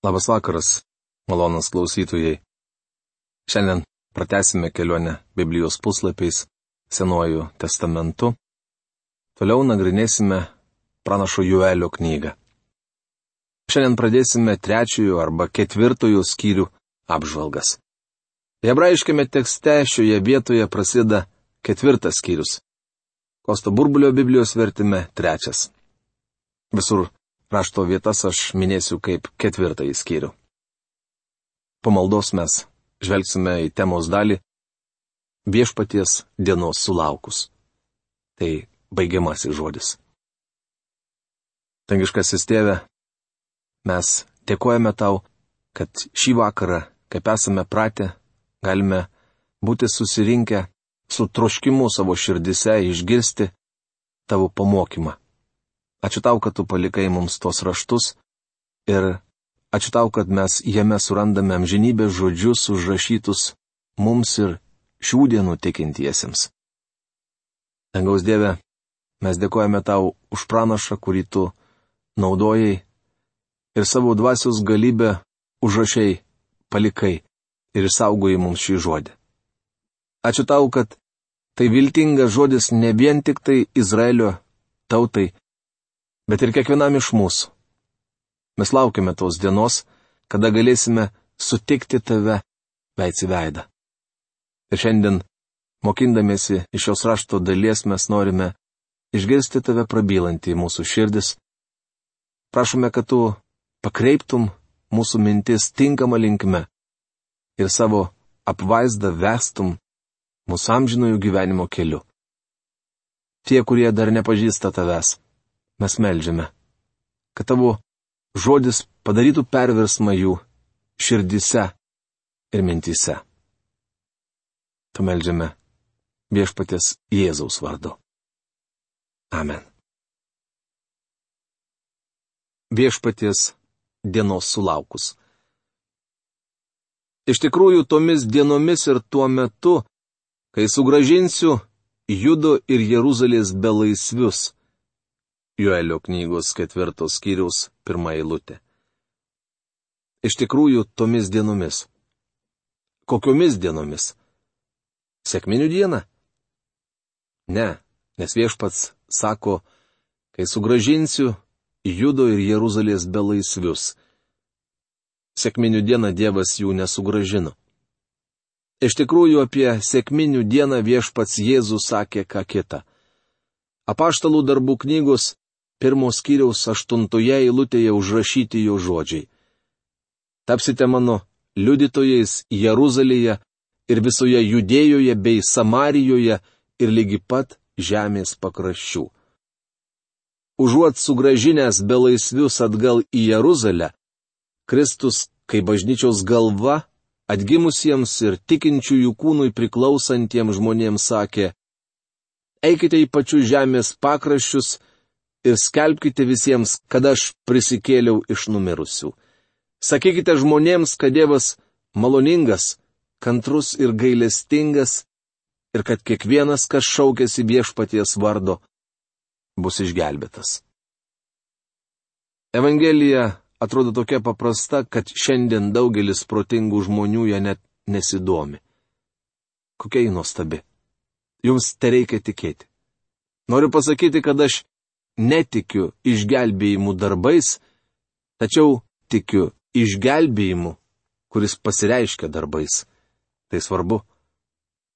Labas vakaras, malonūs klausytojai. Šiandien pratęsime kelionę Biblijos puslapiais Senuoju testamentu. Toliau nagrinėsime pranašo Joelio knygą. Šiandien pradėsime 3 arba 4 skyrių apžvalgas. Hebrajiškame tekste šioje vietoje prasideda 4 skyrius. Kosto Burbulio Biblijos vertime 3. Visur rašto vietas aš minėsiu kaip 4 skyrių. Po maldos mes žvelgsime į temos dalį Viešpaties dienos sulaukus. Tai baigiamasis žodis. Dangiškasis Tėve, mes dėkojame Tau, kad šį vakarą, kaip esame pratę, galime būti susirinkę su troškimu savo širdise išgirsti Tavo pamokymą. Ačiū Tau, kad Tu palikai mums tos raštus ir ačiū Tau, kad mes jame surandame amžinybės žodžius užrašytus mums ir šių dienų tikintiesiems. Dangaus Dieve, mes dėkojame Tau už pranašą, kurį Tu naudojai ir savo dvasios galybę užrašiai palikai ir išsaugojai mums šį žodį. Ačiū Tau, kad tai viltingas žodis ne vien tik tai Izraelio tautai, bet ir kiekvienam iš mūsų. Mes laukiame tos dienos, kada galėsime sutikti Tave veids į veidą. Ir šiandien, mokindamiesi iš šios rašto dalies, mes norime išgirsti Tave prabylantį į mūsų širdis. Prašome, kad Tu pakreiptum mūsų mintis tinkamą linkme ir savo apvaizdą vestum mūsų amžinojo gyvenimo keliu. Tie, kurie dar nepažįsta Tavęs, mes meldžiame, kad Tavo žodis padarytų perversmą jų širdise ir mintyse. Tu meldžiame Viešpaties Jėzaus vardu. Amen. Viešpaties dienos sulaukus. Iš tikrųjų, tomis dienomis ir tuo metu, kai sugrąžinsiu Judo ir Jeruzalės belaisvius. Joelio knygos 4 skyriaus 1 eilutė. Iš tikrųjų, tomis dienomis. Kokiomis dienomis? Sekminių dieną? Ne, nes Viešpats sako, kai sugrąžinsiu Judo ir Jeruzalės belaisvius. Sekminių dieną Dievas jų nesugrąžino. Iš tikrųjų, apie sekminių dieną Viešpats Jėzus sakė ką kita. Apaštalų darbų knygos 1 skyriaus 8 eilutėje užrašyti jo žodžiai. Tapsite mano liudytojais Jeruzalėje ir visoje Judėjoje bei Samarijoje ir lygi pat žemės pakraščių. Užuot sugrąžinęs belaisvius atgal į Jeruzalę, Kristus, kaip bažnyčios galva, atgimusiems ir tikinčiųjų kūnui priklausantiems žmonėms sakė: eikite į pačius žemės pakraščius ir skelbkite visiems, kad aš prisikėliau iš numirusių. Sakykite žmonėms, kad Dievas maloningas, kantrus ir gailestingas ir kad kiekvienas, kas šaukiasi Viešpaties vardo, bus išgelbėtas. Evangelija atrodo tokia paprasta, kad šiandien daugelis protingų žmonių ją net nesidomi. Kokia ji nuostabi. Jums tereikia tikėti. Noriu pasakyti, kad aš netikiu išgelbėjimu darbais, tačiau tikiu išgelbėjimu, kuris pasireiškia darbais. Tai svarbu.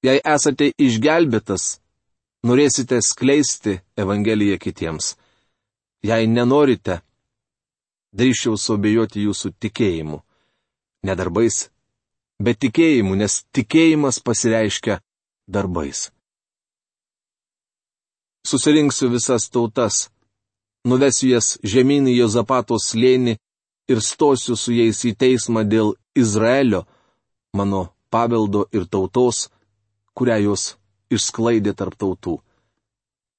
Jei esate išgelbėtas, norėsite skleisti Evangeliją kitiems. Jei nenorite, drįsčiau suabejoti jūsų tikėjimu. Ne darbais, bet tikėjimu, nes tikėjimas pasireiškia darbais. Susirinksiu visas tautas, nuvesiu jas žemyn į Jozapato slėnį ir stosiu su jais į teismą dėl Izraelio, mano paveldo ir tautos, kurią jos išsklaidė tarp tautų.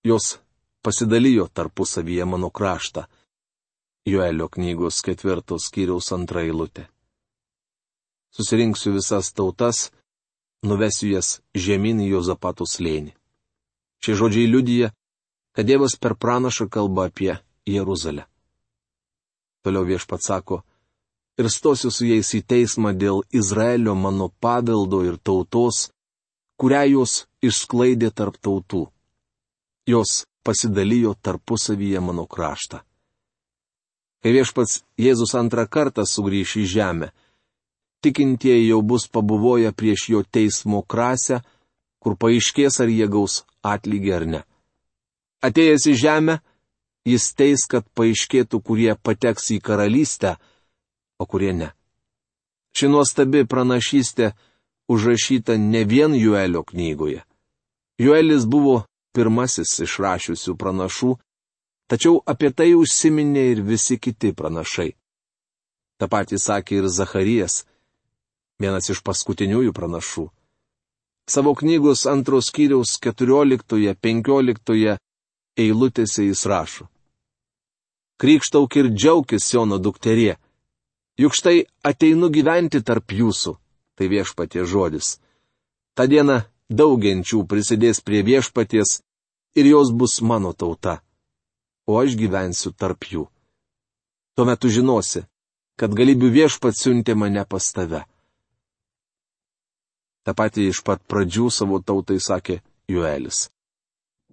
Jos pasidalijo tarpusavyje mano kraštą. Joelio knygos 4 skyriaus 2 eilutė. Susirinksiu visas tautas, nuvesiu jas žemyn į Jozapato slėnį. Šie žodžiai liudija, kad Dievas per pranašą kalba apie Jeruzalę. Toliau Viešpats sako: ir stosiu su jais į teismą dėl Izraelio mano paveldo ir tautos, kurią jos išsklaidė tarp tautų. Jos pasidalijo tarpusavyje mano kraštą. Kai viešpats Jėzus antrą kartą sugrįš į žemę, tikintieji jau bus pabuvoję prieš jo teismo krasę, kur paaiškės, ar jie gaus atlygį ar ne. Atėjęs į žemę, jis teis, kad paaiškėtų, kurie pateks į karalystę, o kurie ne. Ši nuostabi pranašystė užrašyta ne vien Joelio knygoje. Joelis buvo pirmasis išrašiusių pranašų, tačiau apie tai užsiminė ir visi kiti pranašai. Ta pati sakė ir Zacharijas, vienas iš paskutiniųjų pranašų. Savo knygos 2 skyriaus 14-15 eilutėse jis rašo: Krykštauk ir džiaukis, Siono dukterie, juk štai ateinu gyventi tarp jūsų, tai viešpaties žodis. Ta diena daug genčių prisidės prie viešpaties ir jos bus mano tauta, o aš gyvensiu tarp jų. Tuomet tu žinosi, kad galybių viešpats siuntė mane pas tave. Ta pati iš pat pradžių savo tautai sakė Joelis.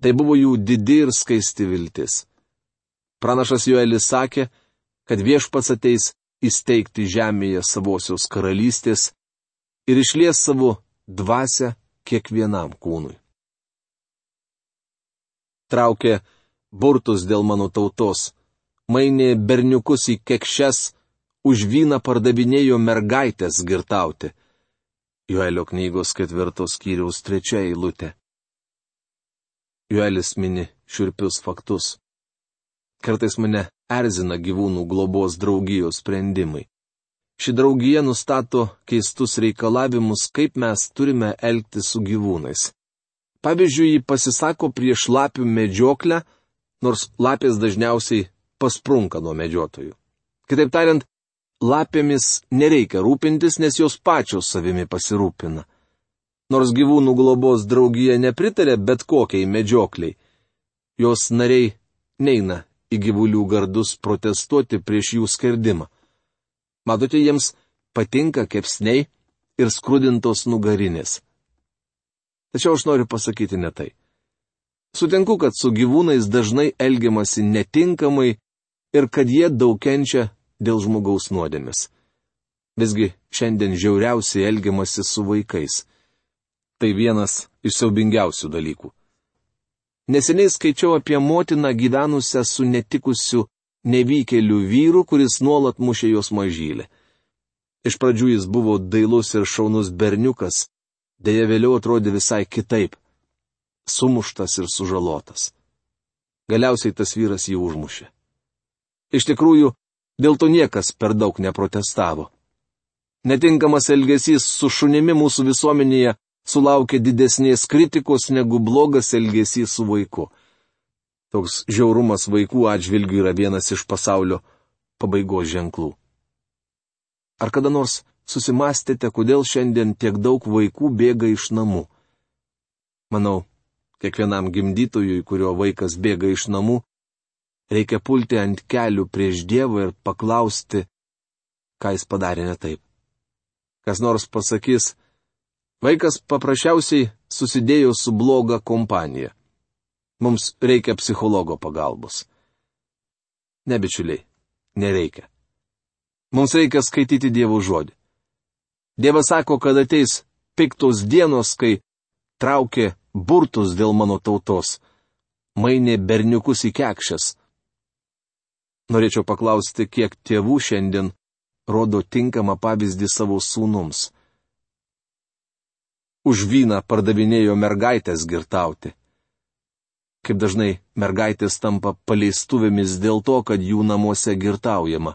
Tai buvo jų didi ir skaisti viltis. Pranašas Joelis sakė, kad viešpats ateis įsteigti žemėje savosios karalystės ir išlies savo dvasią kiekvienam kūnui. Traukė burtus dėl mano tautos, mainė berniukus į kekšes, už vyną pardavinėjo mergaitės girtauti. Joelio knygos 4 skyriaus 3 eilutė. Joelis mini šiurpius faktus. Kartais mane erzina gyvūnų globos draugijos sprendimai. Ši draugija nustato keistus reikalavimus, kaip mes turime elgtis su gyvūnais. Pavyzdžiui, ji pasisako prieš lapių medžioklę, nors lapės dažniausiai pasprunka nuo medžiotojų. Kitaip tariant, lapėmis nereikia rūpintis, nes jos pačios savimi pasirūpina. Nors gyvūnų globos draugija nepritarė bet kokiai medžiokliai, jos nariai neina į gyvulių gardus protestuoti prieš jų skerdimą. Matote, jiems patinka kepsniai ir skrudintos nugarinės. Tačiau aš noriu pasakyti ne tai. Sutinku, kad su gyvūnais dažnai elgiamasi netinkamai ir kad jie daug kenčia dėl žmogaus nuodėmės. Visgi šiandien žiauriausiai elgiamasi su vaikais. Tai vienas iš siaubingiausių dalykų. Neseniai skaičiau apie motiną gyvenusią su netikusiu nevykėliu vyru, kuris nuolat mušė jos mažylę. Iš pradžių jis buvo dailus ir šaunus berniukas, deja vėliau atrodė visai kitaip. Sumuštas ir sužalotas. Galiausiai tas vyras jį užmušė. Iš tikrųjų, dėl to niekas per daug neprotestavo. Netinkamas elgesys su šunimi mūsų visuomenėje sulaukia didesnės kritikos negu blogas elgesys su vaiku. Toks žiaurumas vaikų atžvilgių yra vienas iš pasaulio pabaigos ženklų. Ar kada nors susimastėte, kodėl šiandien tiek daug vaikų bėga iš namų? Manau, kiekvienam gimdytojui, kurio vaikas bėga iš namų, reikia pulti ant kelių prieš Dievą ir paklausti, ką jis padarė ne taip. Kas nors pasakys, vaikas paprasčiausiai susidėjo su bloga kompanija. Mums reikia psichologo pagalbos. Ne, bičiuliai, nereikia. Mums reikia skaityti Dievo žodį. Dievas sako, kad ateis piktos dienos, kai traukė burtus dėl mano tautos, mainė berniukus į kekšes. Norėčiau paklausti, kiek tėvų šiandien rodo tinkamą pavyzdį savo sūnums. Už vyną pardavinėjo mergaitės girtauti. Kaip dažnai mergaitės tampa paleistuvėmis dėl to, kad jų namuose girtaujama.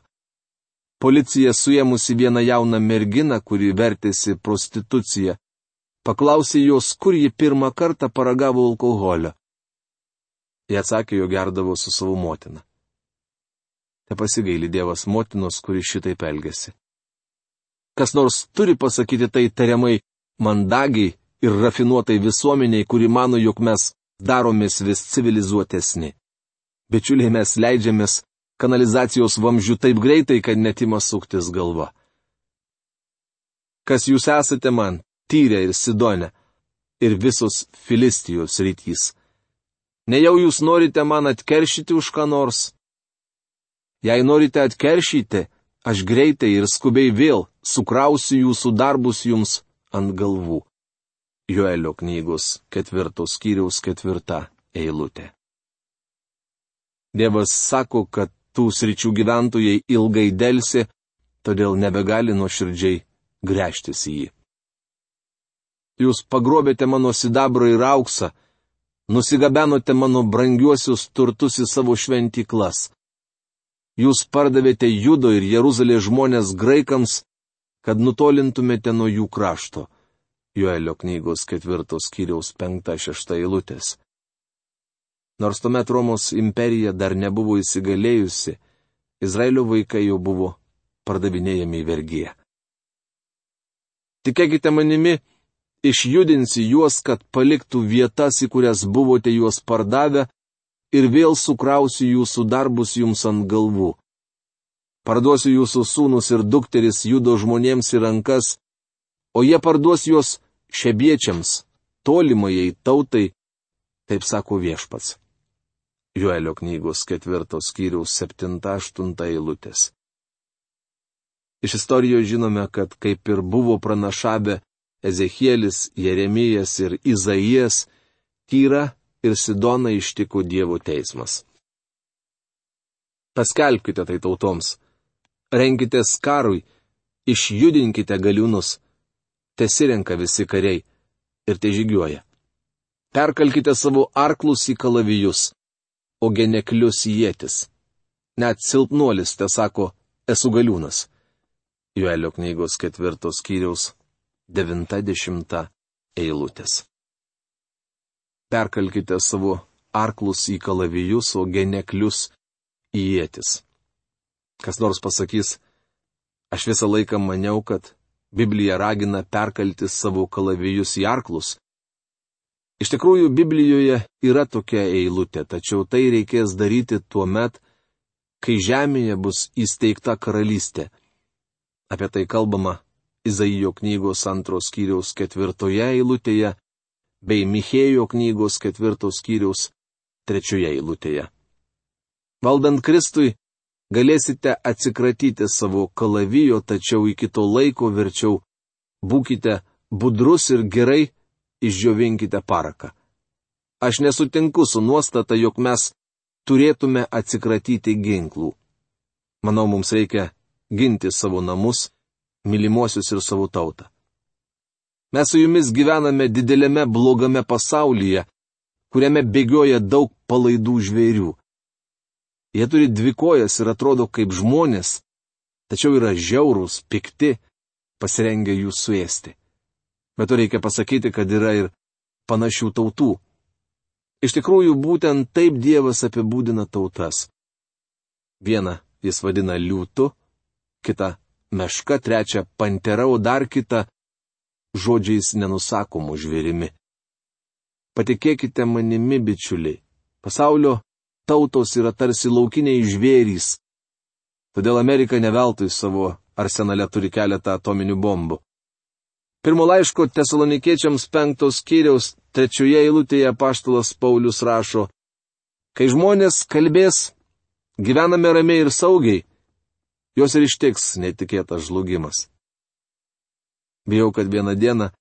Policija suėmusi vieną jauną merginą, kuri vertėsi prostituciją, paklausė jos, kur ji pirmą kartą paragavo alkoholio. Jie atsakė, jo gerdavo su savo motina. Te pasigaili Dievas motinos, kuri šitaip elgėsi. Kas nors turi pasakyti tai tariamai mandagiai ir rafinuotai visuomeniai, kuri mano, jog mes daromės vis civilizuotesni. Bičiuliai, mes leidžiamės kanalizacijos vamzdžių taip greitai, kad net ima suktis galva. Kas jūs esate man, Tyrė ir Sidone, ir visos Filistijos rytys? Nejau jūs norite man atkeršyti už ką nors? Jei norite atkeršyti, aš greitai ir skubiai vėl sukrausiu jūsų darbus jums ant galvų. Joelio knygos 4 skyriaus 4 eilutė. Dievas sako, kad tų sričių gyventojai ilgai delsi, todėl nebegali nuoširdžiai gręžtis į jį. Jūs pagrobėte mano sidabrą ir auksą, nusigabenote mano brangiuosius turtus į savo šventyklas. Jūs pardavėte Judo ir Jeruzalės žmonės graikams, kad nutolintumėte nuo jų krašto. Joelio knygos 4 skyriaus 5-6 eilutės. Nors tuomet Romos imperija dar nebuvo įsigalėjusi, Izraelio vaikai jau buvo pardavinėjami į vergiją. Tikėkite manimi, išjudinsi juos, kad paliktų vietas, į kurias buvote juos pardavę, ir vėl sukrausiu jūsų darbus jums ant galvų. Parduosiu jūsų sūnus ir dukteris Judo žmonėms į rankas, o jie parduos juos šebiečiams, tolimajai tautai, taip sako Viešpats. Joelio knygos 4 skyriaus 7-8 eilutės. Iš istorijos žinome, kad kaip ir buvo pranašavę Ezechielis, Jeremijas ir Izaijas, Tyrą ir Sidoną ištiko Dievo teismas. Paskelbkite tai tautoms, renkitės karui, išjudinkite galiūnus, tesirenka visi kariai ir te žygiuoja. Perkalkite savo arklus į kalavijus, o geneklius į ietis. Net silpnuolis te sako, esu galiūnas. Joelio knygos 4 skyriaus 90 eilutės. Perkalkite savo arklus į kalavijus, o geneklius į ietis. Kas nors pasakys, aš visą laiką maniau, kad Biblija ragina perkalti savo kalavijus į arklus. Iš tikrųjų, Biblijoje yra tokia eilutė, tačiau tai reikės daryti tuo met, kai žemėje bus įsteigta karalystė. Apie tai kalbama Izaijo knygos 2 skyriaus 4 eilutėje, bei Michėjo knygos 4 skyriaus 3 eilutėje. Valdant Kristui, galėsite atsikratyti savo kalavijo, tačiau iki to laiko verčiau būkite budrus ir gerai išdžiovinkite paraką. Aš nesutinku su nuostata, jog mes turėtume atsikratyti ginklų. Manau, mums reikia ginti savo namus, mylimuosius ir savo tautą. Mes su jumis gyvename didelėme blogame pasaulyje, kuriame bėgioja daug palaidų žvėrių. Jie turi 2 kojas ir atrodo kaip žmonės, tačiau yra žiaurūs, pikti, pasirengę jų suėsti. Bet to reikia pasakyti, kad yra ir panašių tautų. Iš tikrųjų, būtent taip Dievas apibūdina tautas. Vieną jis vadina liūtu, kitą meška, trečią pantera, o dar kitą žodžiais nenusakomų žvėrimi. Patikėkite manimi, bičiuliai, pasaulio tautos yra tarsi laukiniai žvėrys. Todėl Amerika ne veltui savo arsenale turi keletą atominių bombų. Pirmo laiško Tesalonikiečiams 5 skyriaus 3 eilutėje apaštalas Paulius rašo: kai žmonės kalbės, gyvename ramiai ir saugiai, jos ir ištiks netikėtas žlugimas. Bijau, kad vieną dieną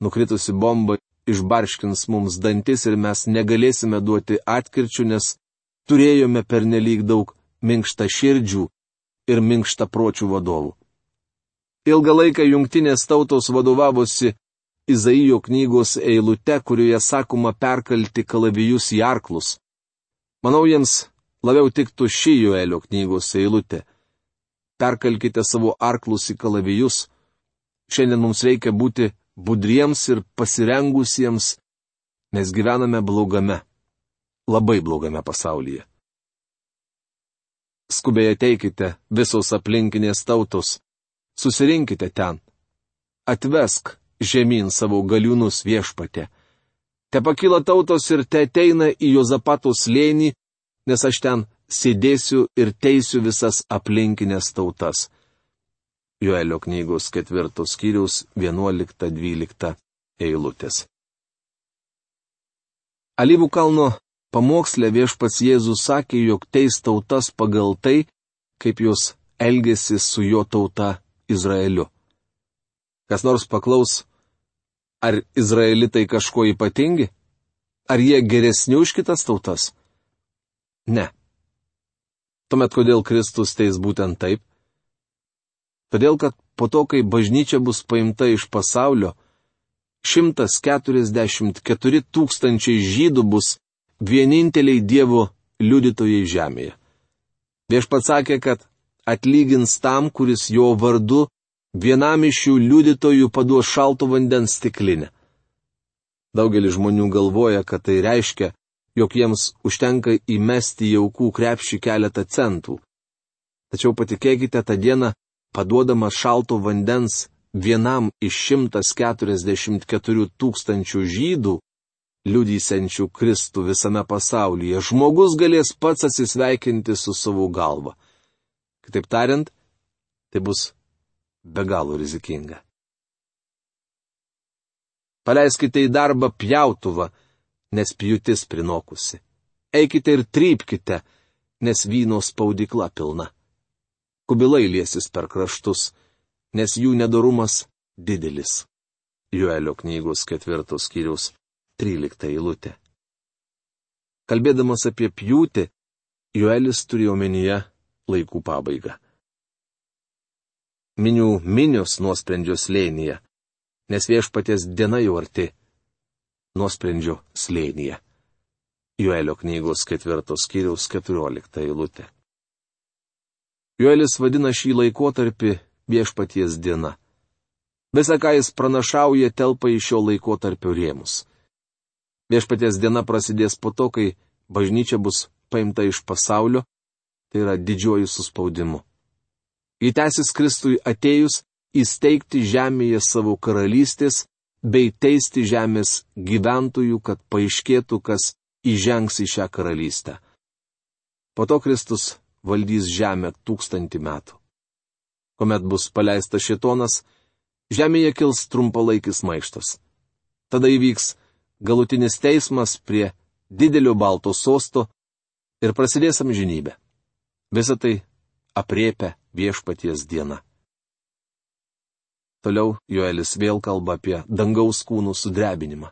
nukritusi bomba išbarškins mums dantis ir mes negalėsime duoti atkirčių, nes turėjome pernelyg daug minkštaširdžių ir minkštapročių vadovų. Ilgą laiką jungtinės tautos vadovavosi Izaijo knygos eilute, kurioje sakoma perkalti kalavijus į arklus. Manau, jiems labiau tiktų ši Joelio knygos eilutė. Perkalkite savo arklus į kalavijus. Šiandien mums reikia būti budriems ir pasirengusiems, nes gyvename blogame, labai blogame pasaulyje. Skubiai ateikite visos aplinkinės tautos. Susirinkite ten. Atvesk žemyn savo galiūnus Viešpatie. Te pakyla tautos ir te ateina į Jozapato slėnį, nes aš ten sėdėsiu ir teisiu visas aplinkinės tautas. Joelio knygos 4 skyriaus 11-12 eilutės. Alyvų kalno pamoksle Viešpats Jėzus sakė, jog teis tautas pagal tai, kaip jos elgėsi su jo tauta Izraeliu. Kas nors paklaus, ar izraelitai kažko ypatingi? Ar jie geresni už kitas tautas? Ne. Tuomet kodėl Kristus teis būtent taip? Todėl, kad po to, kai bažnyčia bus paimta iš pasaulio, 144 tūkstančiai žydų bus vieninteliai Dievo liudytojai žemėje. Viešpats sakė, kad atlygins tam, kuris jo vardu vienam iš šių liudytojų paduos šalto vandens stiklinę. Daugelis žmonių galvoja, kad tai reiškia, jog jiems užtenka įmesti į aukų krepšį keletą centų. Tačiau patikėkite, tą dieną paduodama šalto vandens vienam iš 144 tūkstančių žydų, liudysiančių Kristų visame pasaulyje, žmogus galės pats atsisveikinti su savo galva. Kitaip tariant, tai bus be galo rizikinga. Paleiskite į darbą pjautuvą, nes pjūtis prinokusi. Eikite ir trypkite, nes vyno spaudykla pilna. Kubilai liesis per kraštus, nes jų nedorumas didelis. Joelio knygos 4 skyriaus 13 eilutė. Kalbėdamas apie pjūtį, Joelis turėjo omenyje laikų pabaigą. Minių minios nuosprendžio slėnyje, nes Viešpaties diena jau arti. Nuosprendžio slėnyje. Joelio knygos 4 skyriaus 14 eilutė. Joelis vadina šį laikotarpį Viešpaties diena. Visa, ką jis pranašauja, telpa į šio laikotarpio rėmus. Viešpaties diena prasidės po to, kai bažnyčia bus paimta iš pasaulio, tai yra didžiuoju suspaudimu. Ji tęsis Kristui atėjus įsteigti žemėje savo karalystės bei teisti žemės gyventojų, kad paaiškėtų, kas įžengs į šią karalystę. Po to Kristus valdys žemę 1000 metų. Kuomet bus paleistas šėtonas, žemėje kils trumpalaikis maištas. Tada įvyks galutinis teismas prie didelio balto sosto ir prasidės amžinybė. Visą tai aprėpia Viešpaties diena. Toliau Joelis vėl kalba apie dangaus kūnų sudrebinimą.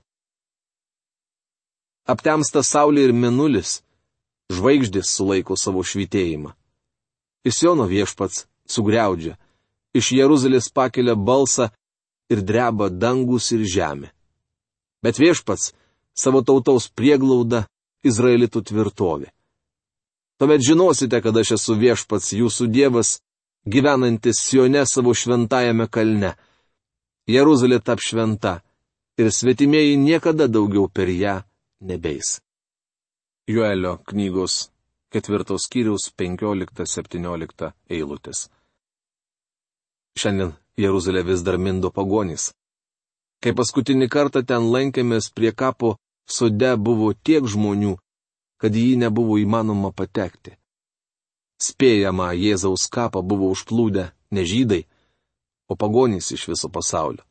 Aptemsta saulė ir mėnulis, žvaigždės sulaiko savo švytėjimą. Iš Siono Viešpats sugriaudžia, iš Jeruzalės pakelia balsą ir dreba dangus ir žemė. Bet Viešpats savo tautos prieglauda Izraelitų tvirtovė. Tuomet žinosite, kad aš esu Viešpats jūsų Dievas, gyvenantis Sione savo šventajame kalne. Jeruzalė tap šventa ir svetimieji niekada daugiau per ją nebeis. Joelio knygos 4 skyriaus 15-17 eilutės. Šiandien Jeruzalė vis dar mindo pagonys. Kai paskutinį kartą ten lankėmės, prie kapo sode buvo tiek žmonių, kad į jį nebuvo įmanoma patekti. Spėjama, Jėzaus kapą buvo užplūdę ne žydai, o pagonys iš viso pasaulio.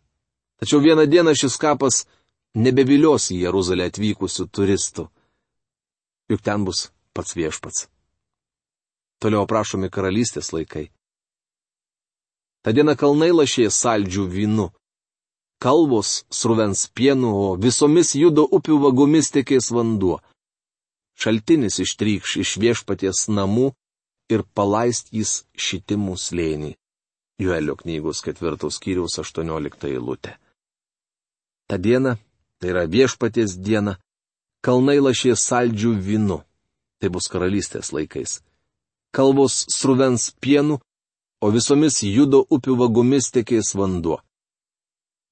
Tačiau vieną dieną šis kapas nebevilios į Jeruzalę atvykusių turistų. Juk ten bus pats Viešpats. Toliau aprašomi karalystės laikai. Ta diena kalnai lašės saldžių vynu. Kalvos sruvens pienu, o visomis judo upių vagomis tekės vanduo. Šaltinis ištrykš iš Viešpaties namų ir palaistys šitimų slėnį. Joelio knygos 4 skyriaus 18 eilutė. Ta diena, tai yra Viešpaties diena, kalnai lašės saldžių vynu. Tai bus karalystės laikais. Kalvos sruvens pienu, o visomis judo upių vagomis tekės vanduo.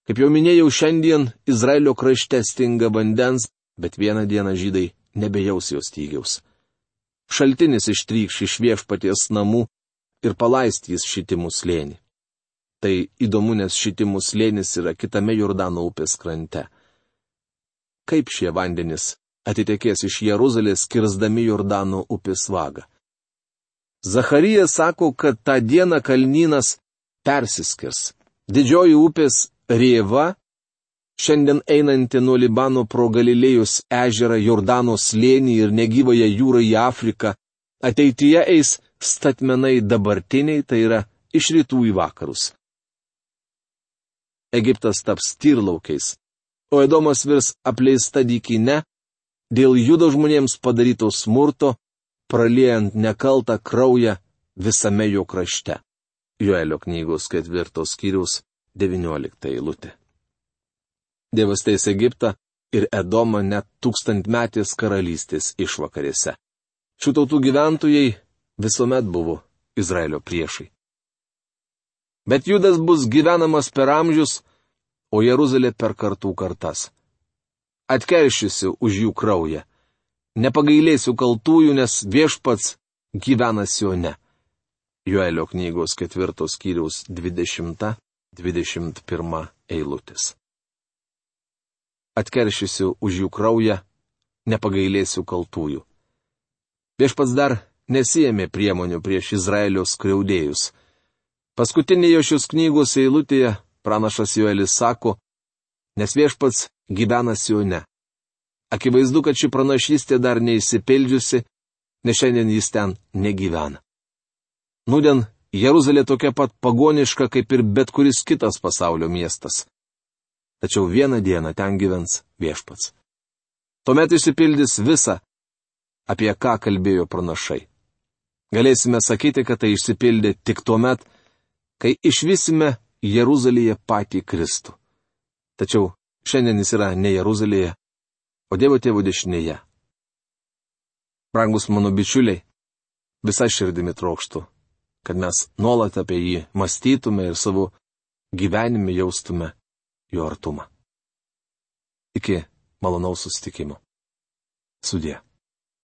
Kaip jau minėjau, šiandien Izraelio krašte stinga vandens, bet vieną dieną žydai nebejaus jos stygiaus. Šaltinis ištrykš iš Viešpaties namų ir palaistys šitimų slėnį. Tai įdomu, nes šitimų slėnis yra kitame Jordano upės krante. Kaip šie vandenys atitekės iš Jeruzalės, kirsdami Jordano upės vagą? Zacharijas sako, kad tą dieną kalnynas persiskirs. Didžioji upės Rėva, šiandien einanti nuo Libano pro Galilėjos ežerą, Jordano slėnį ir negyvąją jūrą į Afriką, ateityje eis statmenai dabartiniai, tai yra iš rytų į vakarus. Egiptas taps tyrlaukiais, o Edomas virs apleista dykyne dėl judo žmonėms padaryto smurto, praliejant nekaltą kraują visame jo krašte. Joelio knygos 4 skyriaus 19 eilutė. Dievas teis Egiptą ir Edomą net 1000-metės karalystės išvakarėse. Šių tautų gyventojai visuomet buvo Izraelio priešai. Bet Judas bus gyvenamas per amžius, o Jeruzalė per kartų kartas. Atkeršysiu už jų kraują. Nepagailėsiu kaltųjų, nes Viešpats gyvena Sione. Joelio knygos 4 skyriaus 20-21 eilutės. Atkeršysiu už jų kraują, nepagailėsiu kaltųjų. Viešpats dar nesijėmė priemonių prieš Izraelio skriaudėjus. Paskutinėje šios knygos eilutėje pranašas Joelis sako, nes Viešpats gyvena Sione. Akivaizdu, kad ši pranašystė dar neįsipildžiusi, nes šiandien jis ten negyvena. Nūdien Jeruzalė tokia pat pagoniška, kaip ir bet kuris kitas pasaulio miestas. Tačiau vieną dieną ten gyvens Viešpats. Tuomet išsipildys visa, apie ką kalbėjo pranašai. Galėsime sakyti, kad tai išsipildė tik tuomet, kai išvysime Jeruzalėje patį Kristų. Tačiau šiandien jis yra ne Jeruzalėje, o Dievo Tėvo dešinėje. Brangus mano bičiuliai, visa širdimi trokštu, kad mes nuolat apie jį mąstytume ir savo gyvenime jaustume jo artumą. Iki malonaus susitikimo. Sudie.